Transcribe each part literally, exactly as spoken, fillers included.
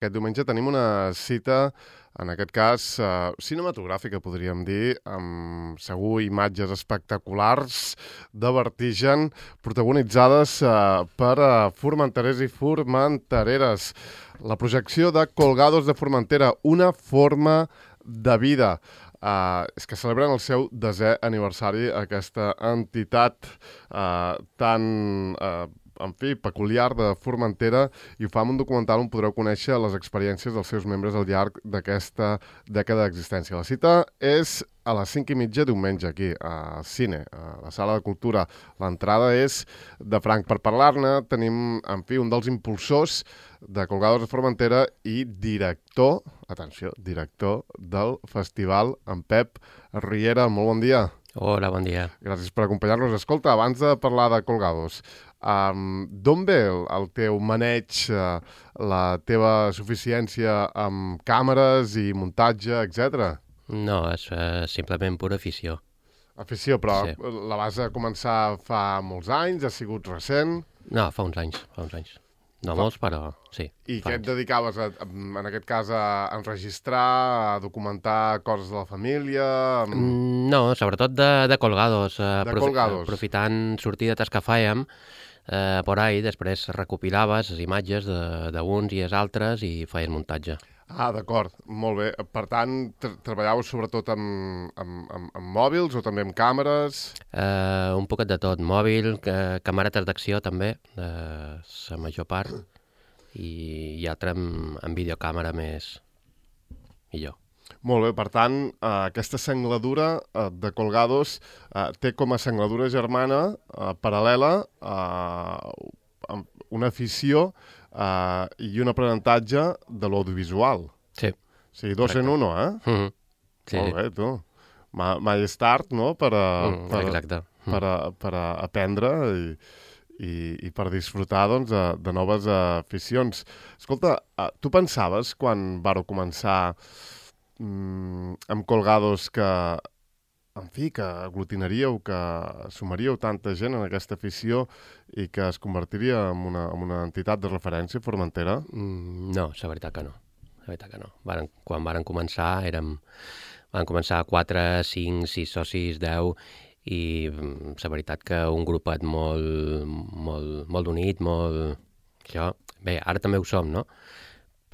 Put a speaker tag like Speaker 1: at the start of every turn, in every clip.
Speaker 1: Aquest diumenge tenim una cita, en aquest cas, eh, cinematogràfica, podríem dir, amb segur imatges espectaculars de vertigen, protagonitzades eh, per eh, formenterers i formentereres. La projecció de Colgados de Formentera, una forma de vida. Uh, és que celebren el seu desè aniversari, aquesta entitat uh, tan, uh, en fi, peculiar de Formentera, i ho fa amb un documental on podreu conèixer les experiències dels seus membres al llarg d'aquesta dècada d'existència. La cita és a les cinc i mitja diumenge, aquí, a Cine, a la Sala de Cultura. L'entrada és de franc. Per parlar-ne tenim, en fi, un dels impulsors de Colgados de Formentera i director, atenció, director del festival, en Pep Riera. Molt bon dia.
Speaker 2: Hola, bon dia.
Speaker 1: Gràcies per acompanyar-nos. Escolta, abans de parlar de Colgados, um, d'on ve el, el teu maneig, uh, la teva suficiència amb càmeres i muntatge, etcètera?
Speaker 2: No, és uh, simplement pura afició.
Speaker 1: Afició, però
Speaker 2: Sí.
Speaker 1: la vas a començar fa molts anys, ha sigut recent.
Speaker 2: No, fa uns anys, fa uns anys. No
Speaker 1: Fa-
Speaker 2: molts, però sí.
Speaker 1: I
Speaker 2: fa
Speaker 1: què et
Speaker 2: anys.
Speaker 1: dedicaves, a, a- en aquest cas, a enregistrar, a documentar coses de la família? Amb...
Speaker 2: Mm, No, sobretot de, de colgados. Uh,
Speaker 1: De colgados.
Speaker 2: Aprofitant sortidetes que fèiem, uh, por ahí, després recopilaves les imatges de- d'uns i els altres i feies muntatge.
Speaker 1: Ah, d'acord, molt bé. Per tant, tra treballàveu sobretot amb, amb, amb, amb mòbils o també amb càmeres?
Speaker 2: Uh, un poquet de tot, mòbil, ca camaretes d'acció també, de la major part, i, i altra amb, amb videocàmera més millor.
Speaker 1: Molt bé, per tant, eh, aquesta sengladura eh, de Colgados eh, té com a sengladura germana eh, paral·lela eh, una afició eh, i un aprenentatge de l'audiovisual.
Speaker 2: Sí.
Speaker 1: O sigui, dos en uno, eh?
Speaker 2: Mm -hmm. Sí,
Speaker 1: Molt bé, tu. Ma mai és tard, no?, per a,
Speaker 2: Mm,
Speaker 1: per,
Speaker 2: exacte. Mm.
Speaker 1: per, a, per a aprendre i, i, i per disfrutar, doncs, de, de noves aficions. Escolta, eh, tu pensaves, quan vareu començar mm, amb Colgados, que, en fi, que aglutinaríeu, que sumaríeu tanta gent en aquesta afició i que es convertiria en una, en una entitat de referència, Formentera?
Speaker 2: Mm, no, la veritat que no. La veritat que no. Varen, quan varen començar érem... Van començar quatre, cinc, sis socis, deu, i mm, la veritat que un grupet molt, molt, molt unit, molt... Això... Bé, ara també ho som, no?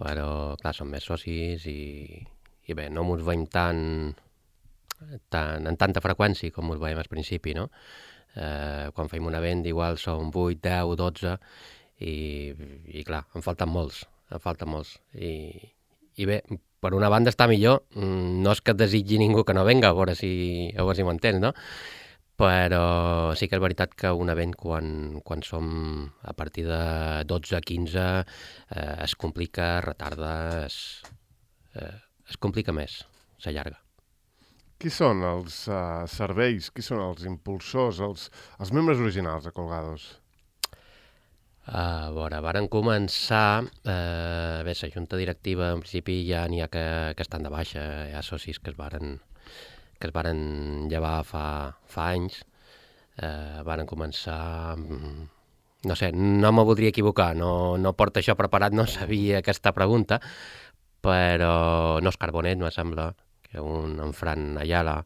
Speaker 2: Però, clar, som més socis i, i bé, no mos veiem tan, tan, en tanta freqüència com mos veiem al principi, no? Eh, quan fem un event igual som vuit, deu, dotze, i, i clar, en falten molts, en falten molts. I, i bé, per una banda està millor, no és que et desitgi ningú que no venga, a veure si, a veure si m'entens, no? Però sí que és veritat que un event, quan, quan som a partir de dotze, quinze, eh, es complica, retarda, es, eh, es complica més, s'allarga.
Speaker 1: Qui són els uh, serveis, qui són els impulsors, els, els membres originals de Colgados?
Speaker 2: A veure, varen començar... Eh, bé, la junta directiva, en principi, ja n'hi ha que, que estan de baixa. Hi ha socis que es varen, que es varen llevar fa, fa anys. Eh, varen començar... mm, No sé, no me voldria equivocar, no, no porto això preparat, no sabia aquesta pregunta, però no és Carbonet, me sembla, que un en Fran Ayala,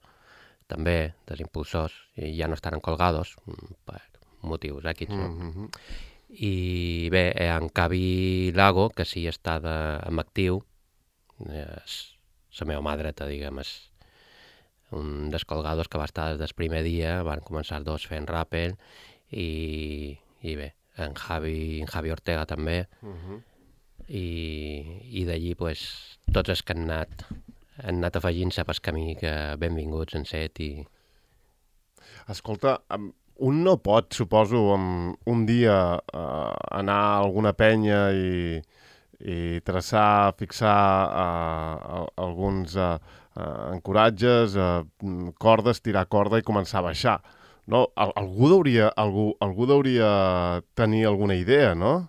Speaker 2: també, dels impulsors, i ja no estan en Colgados, mm, per motius èquids, no?
Speaker 1: Mm-hmm.
Speaker 2: I bé, eh, en Cavi Lago, que sí està de, en actiu, és la meva mà dreta, diguem, és un dels Colgados que va estar des del primer dia, van començar dos fent ràpel, i, i bé, en Javi, en Javi Ortega també,
Speaker 1: Mm-hmm.
Speaker 2: i, i d'allí pues, tots els que han anat, han anat afegint-se pel camí, que benvinguts han set, i
Speaker 1: Escolta, em, un no pot, suposo, um, un dia uh, anar a alguna penya i, i traçar, fixar uh, alguns uh, uh, ancoratges, uh, cordes, tirar corda i començar a baixar. No? Al algú, hauria, algú, algú hauria tenir alguna idea, no?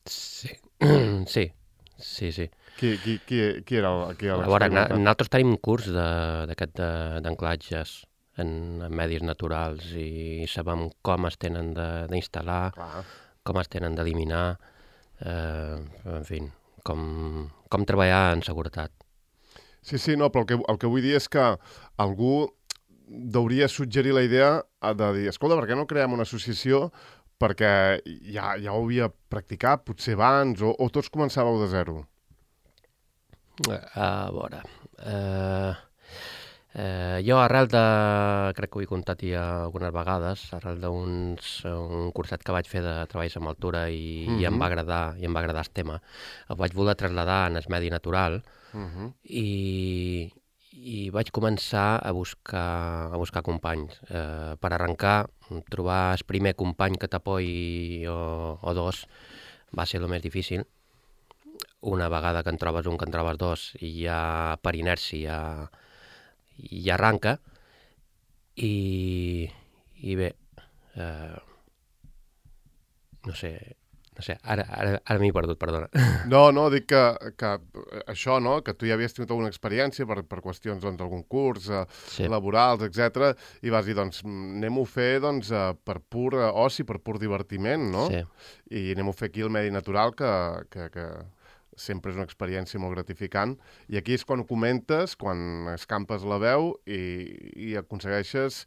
Speaker 2: sí, sí, sí, sí.
Speaker 1: Qui, qui, qui, qui era el, qui era
Speaker 2: A veure, na-
Speaker 1: l'experimentat?
Speaker 2: nosaltres tenim un curs de- d'aquest de- d'anclatges en, en medis naturals i sabem com es tenen de- d'instal·lar,
Speaker 1: Clar.
Speaker 2: com es tenen d'eliminar, eh, en fi, com, com treballar en seguretat.
Speaker 1: Sí, sí, no, però el que, el que vull dir és que algú hauria suggerir la idea de dir, escolta, per què no creem una associació perquè ja, ja ho havia practicat, potser abans, o, o tots començàveu de zero?
Speaker 2: A veure... Uh, uh, jo arrel de... crec que ho he contat ja algunes vegades, arrel d'un curset que vaig fer de treballs amb altura i, mm-hmm. i em va agradar i em va agradar el tema. El vaig voler traslladar en el medi natural mm-hmm. i... i vaig començar a buscar, a buscar companys. Eh, per arrencar, trobar el primer company que t'apoyi o, o dos va ser el més difícil. Una vegada que en trobes un, que en trobes dos, i ja per inèrcia ja arranca. I, i bé, eh, no sé... No sé, ara, ara, ara m'he perdut, perdona.
Speaker 1: No, no, dic que, que això, no?, que tu ja havies tingut alguna experiència per, per qüestions doncs, d'algun curs, eh, sí. laborals, etcètera, i vas dir, doncs, anem-ho a fer doncs, eh, per pur oci, per pur divertiment, no? Sí. I anem-ho a fer aquí al medi natural, que, que, que sempre és una experiència molt gratificant. I aquí és quan ho comentes, quan escampes la veu i, i aconsegueixes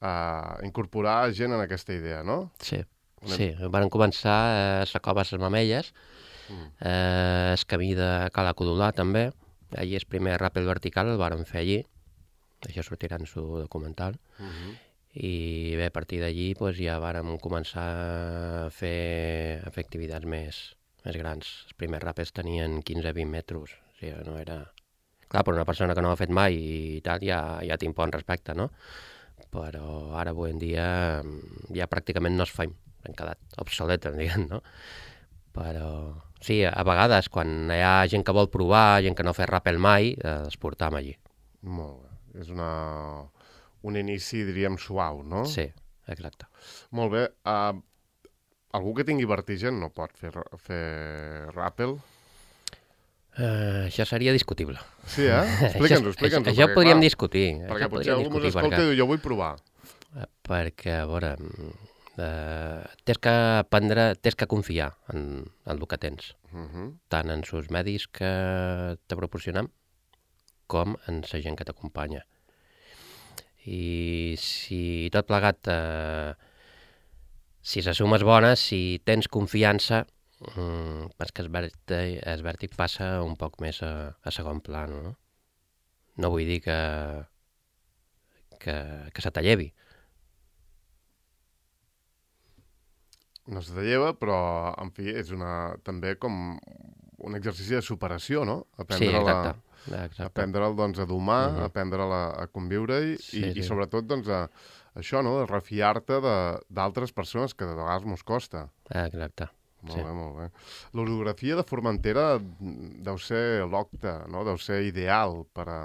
Speaker 1: eh, incorporar gent en aquesta idea, no?
Speaker 2: Sí. Sí, van començar a la cova les Mamelles, mm. eh, el camí de Cala Codolà també, allí el primer ràpel vertical el van fer allí, això sortirà en el documental, mm-hmm. i bé, a partir d'allí pues, ja vàrem començar a fer, a fer activitats més, més grans. Els primers ràpels tenien quinze a vint metres, o sigui, no era... Clar, per una persona que no ho ha fet mai i tal, ja, ja t'impon respecte, no? Però ara avui en dia ja pràcticament no es fa. Han quedat obsoletes, diguem, no? Però sí, a vegades, quan hi ha gent que vol provar, gent que no ha fet ràpel mai, eh, els portam allí.
Speaker 1: Molt bé. És una... un inici, diríem, suau, no?
Speaker 2: Sí, exacte.
Speaker 1: Molt bé. Uh, algú que tingui vertigen no pot fer, fer ràpel?
Speaker 2: Uh, això seria discutible.
Speaker 1: Sí, eh? Explica'ns-ho, explica'ns-ho.
Speaker 2: Això ho podríem discutir.
Speaker 1: Perquè potser algú ens escolta i diu, jo vull provar.
Speaker 2: Perquè, a veure... Uh, tens que aprendre, tens que confiar en, en el que tens, uh-huh. tant en els medis que te proporcionem com en la gent que t'acompanya. I si tot plegat, uh, si la suma és bona, si tens confiança, um, és que el vèrtic, el vèrtic passa un poc més a, a segon pla, no? No vull dir que, que, que se t'allevi.
Speaker 1: No se te lleva, però, en fi, és una, també com un exercici de superació, no? Aprendre
Speaker 2: sí, exacte.
Speaker 1: La,
Speaker 2: exacte.
Speaker 1: Aprendre'l, doncs, a domar, uh-huh. aprendre'l a, a conviure-hi sí, i, sí. i, sobretot, doncs, a, això, no?, de refiar-te d'altres persones que de vegades mos costa.
Speaker 2: Exacte.
Speaker 1: Molt
Speaker 2: sí.
Speaker 1: bé, molt bé. L'orografia de Formentera deu ser l'octa, no?, deu ser ideal per a,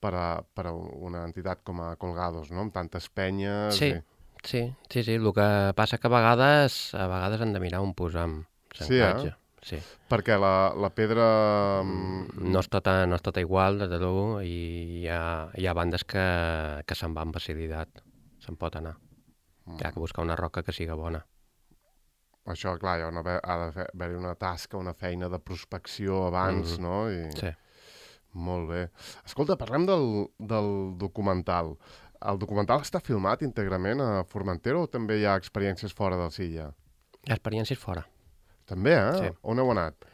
Speaker 1: per a, per a una entitat com a Colgados, no?, amb tantes penyes...
Speaker 2: Sí.
Speaker 1: I...
Speaker 2: Sí, sí, sí, el que passa que a vegades a vegades han de mirar on posam l'anclatge. Sí, eh?
Speaker 1: Sí. Perquè la, la pedra...
Speaker 2: No és tota, no és tota igual, des de l'u, i hi ha, hi ha bandes que, que se'n van amb facilitat, se'n pot anar. Mm. Hi ha que buscar una roca que siga bona.
Speaker 1: Això, clar, hi ha, una, ha d'haver-hi una tasca, una feina de prospecció abans, mm-hmm. no? I...
Speaker 2: Sí.
Speaker 1: Molt bé. Escolta, parlem del, del documental. El documental està filmat íntegrament a Formentera o també hi ha experiències fora del Silla?
Speaker 2: Experiències fora.
Speaker 1: També, eh?
Speaker 2: Sí.
Speaker 1: On heu anat?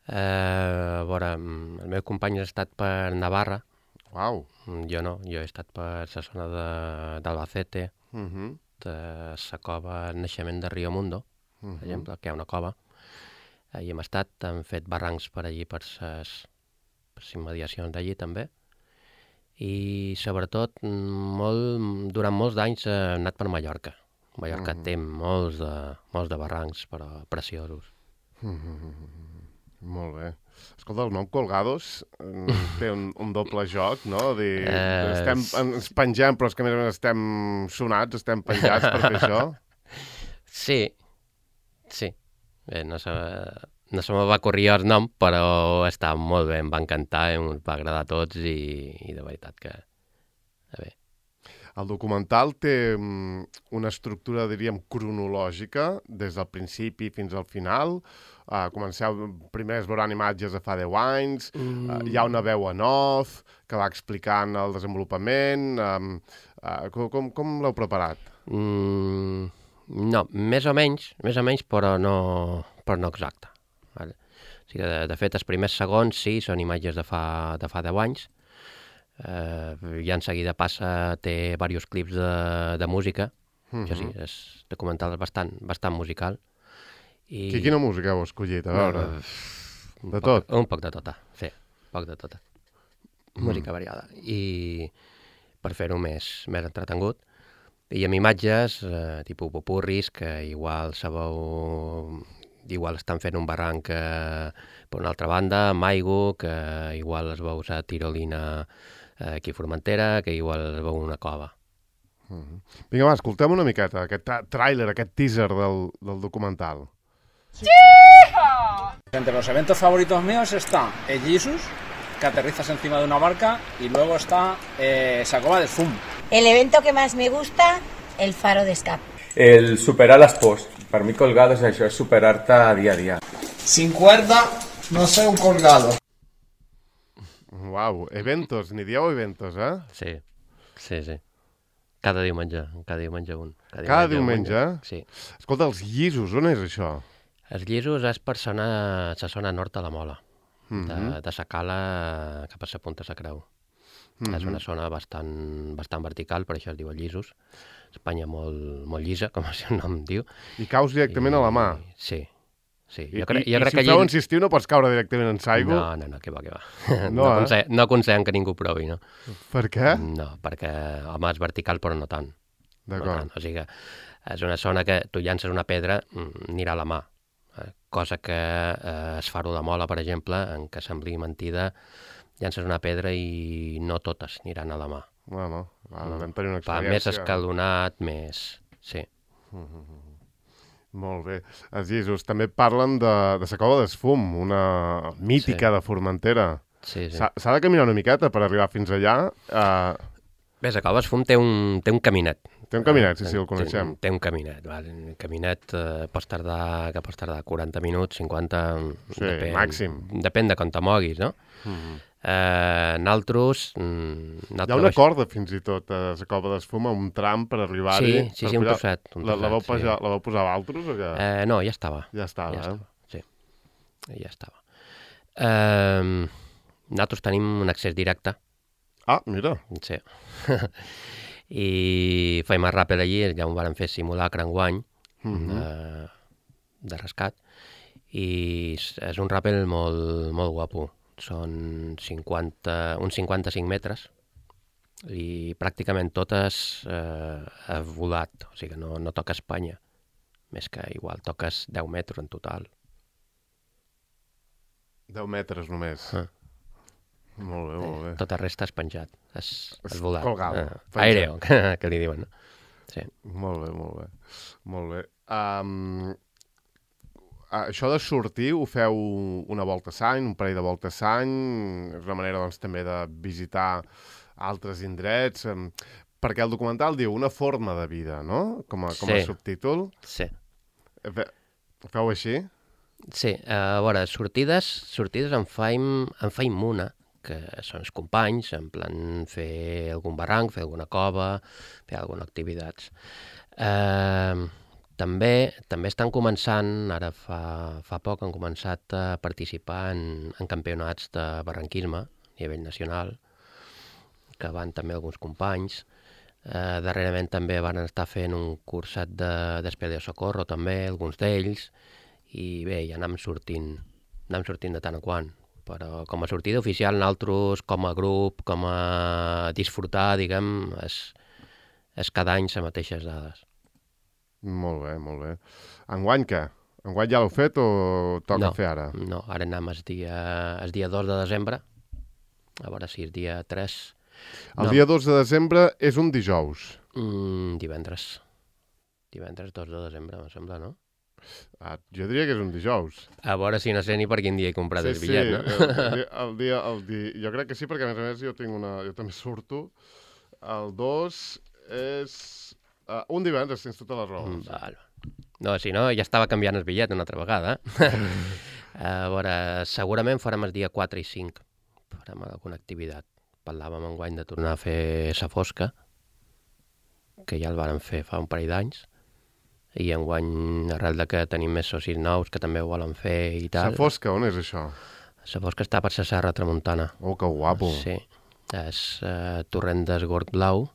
Speaker 2: Eh, a veure, el meu company ha estat per Navarra.
Speaker 1: Uau.
Speaker 2: Jo no, jo he estat per la zona d'Albacete,
Speaker 1: uh-huh.
Speaker 2: de la cova Naixement de Rio Mundo, uh-huh. per exemple, que hi ha una cova. Hi hem estat, hem fet barrancs per allí, per les immediacions d'allí també. I sobretot molt, durant molts d'anys he anat per Mallorca. Mallorca mm-hmm. té molts de, molts de barrancs, però preciosos.
Speaker 1: Mm-hmm. Molt bé. Escolta, el nom Colgados té un, un doble joc, no? Dir, eh... estem, ens pengem, però és que a més a més estem sonats, estem penjats per fer això.
Speaker 2: Sí, sí. Bé, no sé... No se me va corrir el nom, però està molt bé, em va encantar, ens va agradar a tots i, i de veritat que... Bé.
Speaker 1: El documental té um, una estructura, diríem, cronològica, des del principi fins al final. Uh, comenceu, primer es veuran imatges de fa deu anys, mm. uh, hi ha una veu en off que va explicant el desenvolupament. Um, uh, com com, com l'heu preparat?
Speaker 2: Mm, no, més o menys, més o menys, però no, però no exacte. Vale? O sigui, de, de fet, els primers segons sí, són imatges de fa, de fa deu anys. Uh, I en seguida passa, té diversos clips de, de música. Mm-hmm. Això sí, és documental bastant, bastant musical. I...
Speaker 1: Quina música heu escollit? A veure,
Speaker 2: uh,
Speaker 1: de
Speaker 2: poc,
Speaker 1: tot?
Speaker 2: Un poc de tota, sí, poc de tota. Mm. Música variada. I per fer-ho més, més entretengut. I amb imatges, eh, tipus popurris, que igual sabeu... Igual estan fent un barranc eh, per una altra banda, amb aigua, que igual es veu a Tirolina eh, aquí a Formentera, que igual es veu una cova.
Speaker 1: Mm-hmm. Vinga, va, escoltem una miqueta, aquest tràiler, aquest teaser del, del documental.
Speaker 3: Entre los eventos favoritos míos está el Jesus, que aterrizas encima de una barca, y luego está eh, Sacoba del Fum.
Speaker 4: El evento que más me gusta, el faro de escape.
Speaker 5: El superar les pors. Per mi colgado és això, és superar-te dia a dia.
Speaker 6: Sin cuerda, no sé un colgado.
Speaker 1: Uau, eventos, ni dieu eventos, eh?
Speaker 2: Sí, sí, sí. Cada diumenge, cada diumenge un.
Speaker 1: Cada, cada diumenge? diumenge?
Speaker 2: Sí.
Speaker 1: Escolta, els Llisos, on és això?
Speaker 2: Els Llisos és per zona, la zona nord de la Mola, mm-hmm. de, de Sacala cap a la Punta de la Creu. Mm-hmm. És una zona bastant, bastant vertical, per això es diu Llisos. Espanya molt, molt llisa, com el seu nom diu.
Speaker 1: I caus directament I, a la mà?
Speaker 2: Sí, sí.
Speaker 1: I, jo cre, jo i, crec i si que feu allí... insistiu no pots caure directament en l'aigua?
Speaker 2: No, no, no, que va, que va.
Speaker 1: No,
Speaker 2: no,
Speaker 1: eh?
Speaker 2: aconsell, no aconsellem que ningú provi, no.
Speaker 1: Per què?
Speaker 2: No, perquè, home, és vertical, però no tant.
Speaker 1: D'acord.
Speaker 2: No o sigui que és una zona que tu llances una pedra, anirà a la mà. Cosa que eh, es faro de Mola, per exemple, en què sembli mentida, llances una pedra i no totes aniran a la mà.
Speaker 1: Bueno, bueno, vam tenir una experiència.
Speaker 2: Va, més escalonat, més... Sí.
Speaker 1: Mm-hmm. Molt bé. Els Llisos també parlen de, de la Cova d'Esfum, una mítica sí. de Formentera.
Speaker 2: Sí, sí.
Speaker 1: S'ha de caminar una miqueta per arribar fins allà. Uh...
Speaker 2: Bé, la Cova d'Esfum té un, té un caminet.
Speaker 1: Té un caminet, sí, sí, el coneixem.
Speaker 2: Té, té un caminet, val? El caminet eh, pots tardar, que pots tardar quaranta minuts, cinquanta...
Speaker 1: Sí, depèn, màxim.
Speaker 2: Depèn de com te moguis, no?
Speaker 1: Mm-hmm.
Speaker 2: Eh, naltros...
Speaker 1: Hi ha una corda, fins i tot, a la Cova d'Esfum, un tram per arribar-hi.
Speaker 2: Sí, sí, sí, un trosset. Un
Speaker 1: la, la, vau
Speaker 2: sí.
Speaker 1: posar, la vau posar a altres o què?
Speaker 2: Eh, no, ja estava.
Speaker 1: Ja estava,
Speaker 2: ja
Speaker 1: eh?
Speaker 2: Estava, sí, ja estava. Eh, nosaltres tenim un accés directe.
Speaker 1: Ah, mira.
Speaker 2: Sí. I feim el ràpel allí, ja ho vam fer simulacre enguany mm-hmm. de, de rescat, i és un ràpel molt, molt guapo. Són cinquanta, uns cinquanta-cinc metres i pràcticament totes eh, ha volat, o sigui que no, no toca Espanya, més que igual toques deu metres en total.
Speaker 1: deu metres només. Ah. Molt bé, molt bé.
Speaker 2: Eh, tota resta és penjat, és, és volat.
Speaker 1: Colgado.
Speaker 2: Eh, aereo, que, que li diuen, no? Sí.
Speaker 1: Molt bé, molt bé. Molt bé. Um, això de sortir, ho feu una volta a l'any, un parell de voltes a l'any, és una manera, doncs, també de visitar altres indrets, um, perquè el documental diu una forma de vida, no? Com a, com a
Speaker 2: sí.
Speaker 1: subtítol.
Speaker 2: Sí.
Speaker 1: Fe, ho feu així?
Speaker 2: Sí, a veure, sortides, sortides en faim, en faim una, que són els companys, en plan fer algun barranc, fer alguna cova, fer alguna activitat. Eh, també, també estan començant, ara fa, fa poc han començat a participar en, en campionats de barranquisme a nivell nacional, que van també alguns companys. Eh, darrerament també van estar fent un curset de, d'Espeleo Socorro, també, alguns d'ells, i bé, ja anem sortint, anem sortint de tant en quant. Però com a sortida oficial, nosaltres, com a grup, com a disfrutar, diguem, és, és cada any les mateixes dades.
Speaker 1: Molt bé, molt bé. Enguany què? Enguany ja l'heu fet o toca
Speaker 2: no,
Speaker 1: fer ara?
Speaker 2: No, ara anem el dia, el dia dos de desembre, a veure si és dia tres.
Speaker 1: El
Speaker 2: no.
Speaker 1: dia dos de desembre és un dijous?
Speaker 2: Mm, divendres. Divendres dos de desembre, em sembla, no?
Speaker 1: Ah, jo diria que és un dijous.
Speaker 2: A veure si no sé ni per quin dia he comprat
Speaker 1: sí,
Speaker 2: el bitllet,
Speaker 1: sí,
Speaker 2: no?
Speaker 1: El, el, dia, el dia, el dia, jo crec que sí, perquè a més a més jo tinc una... Jo també surto. El dos és... Uh, un divendres, tens tota la raó.
Speaker 2: Mm, val. No, si no, ja estava canviant el bitllet una altra vegada. A veure, segurament farem el dia quatre i cinc. Farem alguna activitat. Parlàvem enguany de tornar a fer Sa Fosca, que ja el vàrem fer fa un parell d'anys, i enguany, arrel de que tenim més socis nous que també ho volen fer i tal...
Speaker 1: Sa Fosca, on és això?
Speaker 2: Sa Fosca està per la Serra Tramuntana.
Speaker 1: Oh, que guapo.
Speaker 2: Sí, és uh, Torrent d'Esgord Blau,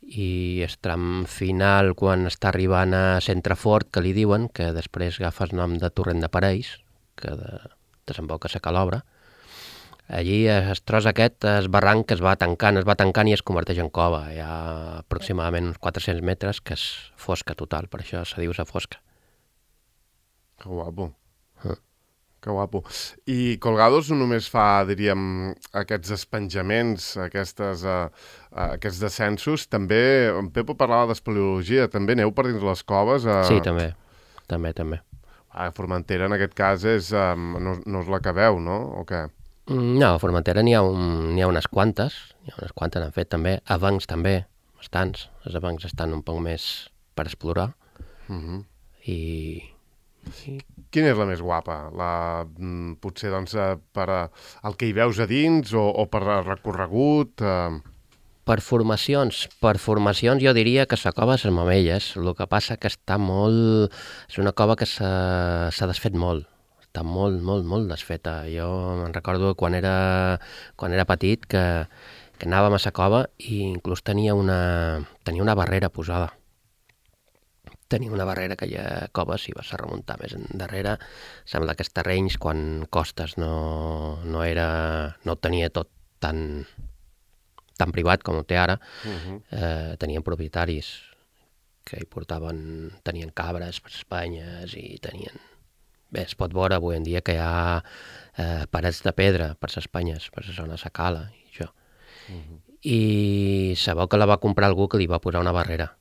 Speaker 2: i el tram final, quan està arribant a Centrefort, que li diuen, que després agafa el nom de Torrent de Parells, que de, desemboca a la Calobra. Allí el tros aquest, el barranc es va tancant, es va tancant i es converteix en cova. Hi ha aproximadament uns quatre-cents metres, que és fosca total, per això se diu Sa Fosca.
Speaker 1: Que guapo.
Speaker 2: Uh.
Speaker 1: Que guapo. I Colgados no només fa, diríem, aquests espenjaments, aquestes, uh, uh, aquests descensos, també, en Pepo parlava d'espeleologia, també aneu per dins les coves? Uh...
Speaker 2: Sí, també, també, també.
Speaker 1: A Formentera, en aquest cas, és, um, no, no us l'acabeu, no? O què?
Speaker 2: No, a Formentera n'hi ha, un, n'hi ha unes quantes, n'hi ha unes quantes han fet també, abancs també, bastants, els abancs estan un poc més per explorar,
Speaker 1: Uh-huh.
Speaker 2: i... i...
Speaker 1: Quina és la més guapa? La, mm, potser, doncs, eh, per eh, el que hi veus a dins o, o per recorregut? Eh...
Speaker 2: Per formacions, per formacions jo diria que la cova és les Mamelles, el que passa que està molt... És una cova que s'ha, s'ha desfet molt, està molt, molt, molt desfeta. Jo me'n recordo quan era, quan era petit que, que anàvem a la cova i inclús tenia una, tenia una barrera posada. Tenia una barrera que hi ha coves i vas a remuntar més endarrere. Sembla que els terrenys, quan costes no, no era... no ho tenia tot tan, tan privat com ho té ara, uh-huh. eh, tenien propietaris que hi portaven... tenien cabres per Espanyes i tenien... Bé, es pot veure avui en dia que hi ha eh, parets de pedra per les Espanyes, per la zona de la Cala i això. Uh-huh. I sabeu que la va comprar algú que li va posar una barrera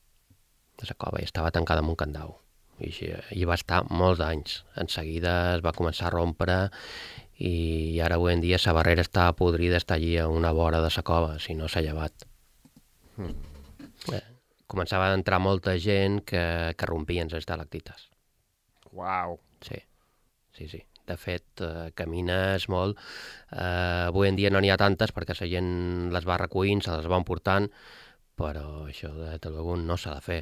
Speaker 2: de la cova i estava tancada amb un candau. I així, hi va estar molts anys. En seguida es va començar a rompre i ara avui en dia la barrera està podrida, està allí a una vora de la cova, si no s'ha llevat. Mm. Eh, començava a entrar molta gent que, que rompien les estalactites.
Speaker 1: Uau!
Speaker 2: Sí, sí, sí. De fet, eh, camines molt. Eh, avui en dia no n'hi ha tantes perquè la gent les va recollint, se les va emportant, però això de tot no s'ha de fer.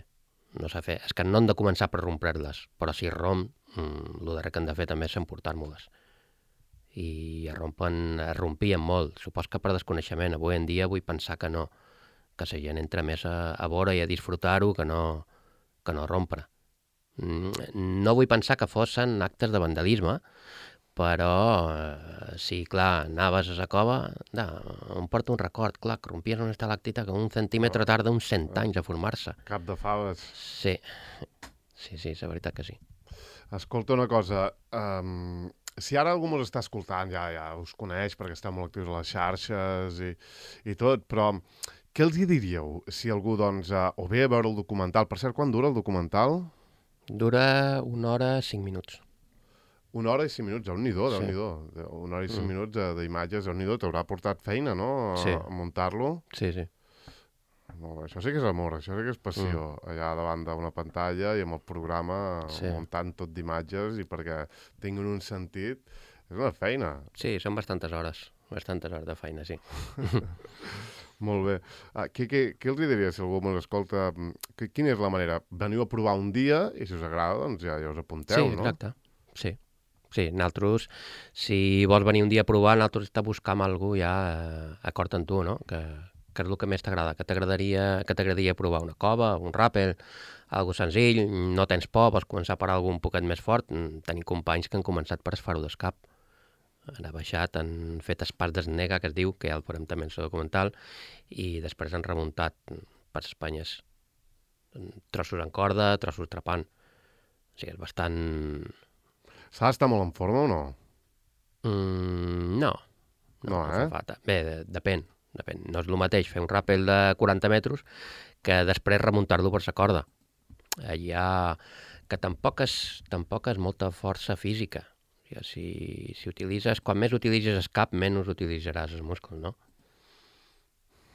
Speaker 2: No s'ha de fer. És que no han de començar per rompre-les, però si romp, mm, el darrer que han de fer també és emportar-me-les. I es rompen, es rompien molt. Supos que per desconeixement. Avui en dia vull pensar que no, que la gent entra més a, a veure i a disfrutar-ho que no, que no rompre. No vull pensar que fossin actes de vandalisme, però eh, sí, clar, anaves a la cova, da, em porta un record, clar, que rompies una estalactita que un centímetre tarda uns cent anys a formar-se.
Speaker 1: Cap de faves.
Speaker 2: Sí, sí, sí, la veritat que sí.
Speaker 1: Escolta una cosa, um, si ara algú mos està escoltant, ja, ja us coneix perquè està molt actius a les xarxes i, i tot, però què els hi diríeu si algú, doncs, uh, o ve a veure el documental? Per cert, quan dura el documental?
Speaker 2: Dura una hora, cinc minuts.
Speaker 1: Una hora i cinc minuts, déu-n'hi-do,
Speaker 2: Sí.
Speaker 1: déu-n'hi-do. Una hora i cinc
Speaker 2: Mm.
Speaker 1: minuts uh, d'imatges, déu-n'hi-do, t'haurà portat feina, no?, a,
Speaker 2: Sí.
Speaker 1: a muntar-lo.
Speaker 2: Sí, sí.
Speaker 1: Molt bé, això sí que és amor, això sí que és passió, mm. allà davant d'una pantalla i amb el programa
Speaker 2: Sí.
Speaker 1: muntant tot d'imatges i perquè tinguin un sentit. És una feina.
Speaker 2: Sí, són bastantes hores, bastantes hores de feina, sí.
Speaker 1: Molt bé. Ah, què, què, què els diria si algú m'ho escolta? Que, quina és la manera? Veniu a provar un dia i si us agrada, doncs ja, ja us apunteu,
Speaker 2: sí,
Speaker 1: no?
Speaker 2: exacte. Sí, sí, nosaltres, si vols venir un dia a provar, nosaltres està buscant algú ja eh, acord amb tu, no? Que, que és el que més t'agrada, que t'agradaria que t'agradaria provar una cova, un ràpel, algo senzill, no tens por, vols començar per algun poquet més fort. Tenim companys que han començat per el Faro d'Escap. Han baixat, han fet el pas d'Esnega, que es diu, que ja el farem també en el documental, i després han remuntat per Espanyes. Trossos en corda, trossos trepant. O sigui, és bastant...
Speaker 1: S'ha d'estar molt en forma o no?
Speaker 2: Mm, no.
Speaker 1: No, no eh?
Speaker 2: Falta. Bé, de, depèn, depèn. No és el mateix fer un ràpel de quaranta metres que després remuntar-lo per la corda. Hi ha... que tampoc és, tampoc és molta força física. O sigui, si, si utilitzes... Quan més utilitzes el cap, menys utilitzaràs els músculs, no?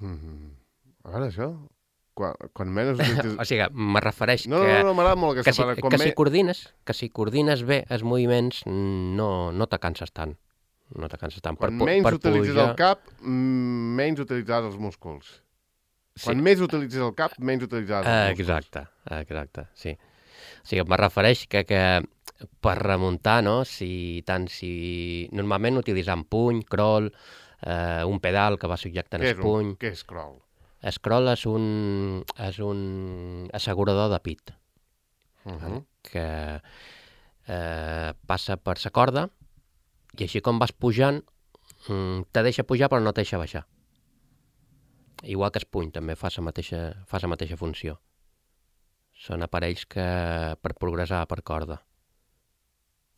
Speaker 1: Mm-hmm. A veure, això... Quan, quan menys utilitzes...
Speaker 2: O sigui, me refereix
Speaker 1: no,
Speaker 2: que...
Speaker 1: No, no, no, m'agrada molt
Speaker 2: que
Speaker 1: aquesta
Speaker 2: si,
Speaker 1: paraula.
Speaker 2: que, si coordines, que si coordines bé els moviments, no, no te canses tant. No te canses tant.
Speaker 1: Quan
Speaker 2: per,
Speaker 1: menys
Speaker 2: per
Speaker 1: utilitzes
Speaker 2: pujar...
Speaker 1: el cap, menys utilitzaràs els músculs. Quan
Speaker 2: Sí.
Speaker 1: més utilitzes el cap, menys utilitzaràs els músculs.
Speaker 2: Exacte, exacte, sí. O sigui, me refereix que, que per remuntar, no? Si tant si... Normalment utilitzant puny, crawl, eh, un pedal que va subjectant
Speaker 1: Què
Speaker 2: el
Speaker 1: és,
Speaker 2: puny...
Speaker 1: un, què és crawl?
Speaker 2: Scroll és un, és un assegurador de pit,
Speaker 1: Uh -huh.
Speaker 2: que eh, passa per la corda i així com vas pujant, mm, te deixa pujar però no te deixa baixar. Igual que el puny també fa la mateixa, fa la mateixa funció. Són aparells que per progressar per corda.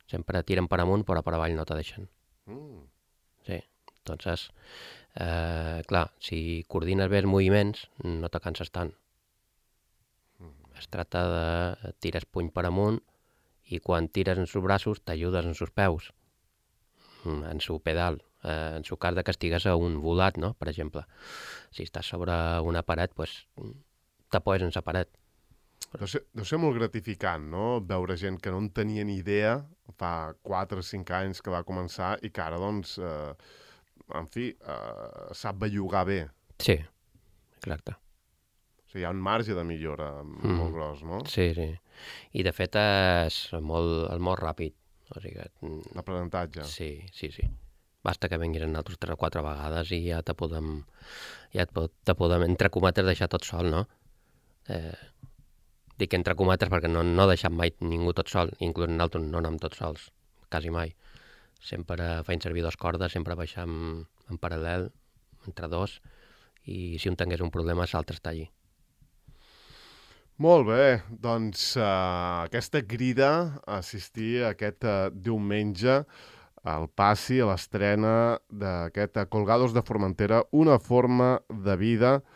Speaker 2: Sempre tiren per amunt però per avall no te deixen.
Speaker 1: Mm.
Speaker 2: Sí, entonces... Eh, clar, si coordines bé els moviments, no te canses tant. Es tracta de tirar el puny per amunt i quan tires en sus braços t'ajudes en sus peus, en su pedal, eh, en su cas de que estigues a un volat, no? Per exemple. Si estàs sobre una paret, pues, t'apoyes en la paret.
Speaker 1: Deu ser, deu ser molt gratificant, no?, veure gent que no en tenia ni idea fa quatre o cinc anys que va començar i que ara, doncs... Eh, en fi, uh, sap bellugar bé.
Speaker 2: Sí, exacte.
Speaker 1: O sigui, hi ha un marge de millora mm. molt gros, no?
Speaker 2: Sí, sí. I de fet és molt, és molt ràpid. O sigui,
Speaker 1: l'aprenentatge.
Speaker 2: Sí, sí, sí. Basta que vinguis en altres tres o quatre vegades i ja te podem, ja te podem entre cometes, deixar tot sol, no? Eh, dic entre cometes perquè no, no he deixat mai ningú tot sol, inclús nosaltres no anem tots sols, quasi mai. Sempre feim servir dos cordes, sempre baixem en paral·lel, entre dos, i si un tingués un problema, l'altre està allí.
Speaker 1: Molt bé, doncs uh, aquesta crida a assistir a aquest uh, diumenge al passi, a l'estrena d'aquest Colgados de Formentera, una forma de vida, uh,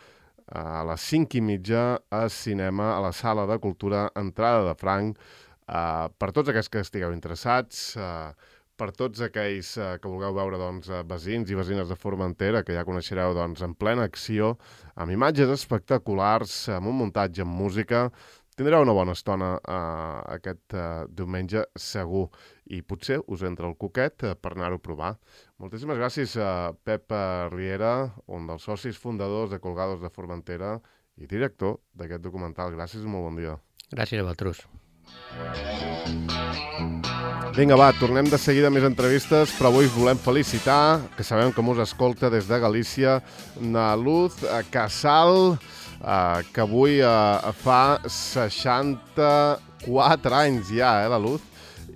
Speaker 1: a les cinc i mitja a cinema, a la Sala de Cultura, entrada de franc, uh, per tots aquells que estigueu interessats, uh, per tots aquells eh, que vulgueu veure doncs, veïns i veïnes de Formentera, que ja coneixereu doncs, en plena acció, amb imatges espectaculars, amb un muntatge amb música. Tindreu una bona estona eh, aquest eh, diumenge, segur. I potser us entra el coquet eh, per anar-ho a provar. Moltíssimes gràcies a Pep Riera, un dels socis fundadors de Colgados de Formentera i director d'aquest documental. Gràcies i molt bon dia.
Speaker 2: Gràcies a vosaltres.
Speaker 1: Vinga, va, tornem de seguida a més entrevistes, però avui us volem felicitar, que sabem que mos escolta des de Galícia, na Luz Casal, eh, que avui eh, fa seixanta-quatre anys ja, eh, la Luz,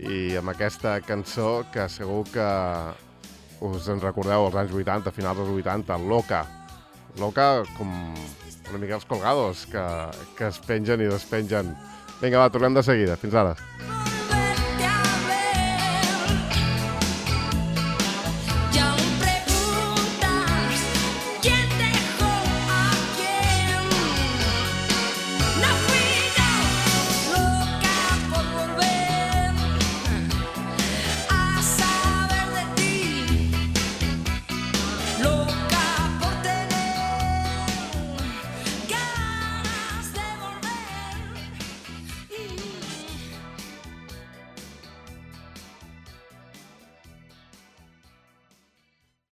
Speaker 1: i amb aquesta cançó que segur que us en recordeu als anys vuitanta, finals dels vuitanta, Loca. Loca com una mica els Colgados, que, que es pengen i despengen. Vinga, va, tornem de seguida. Fins ara.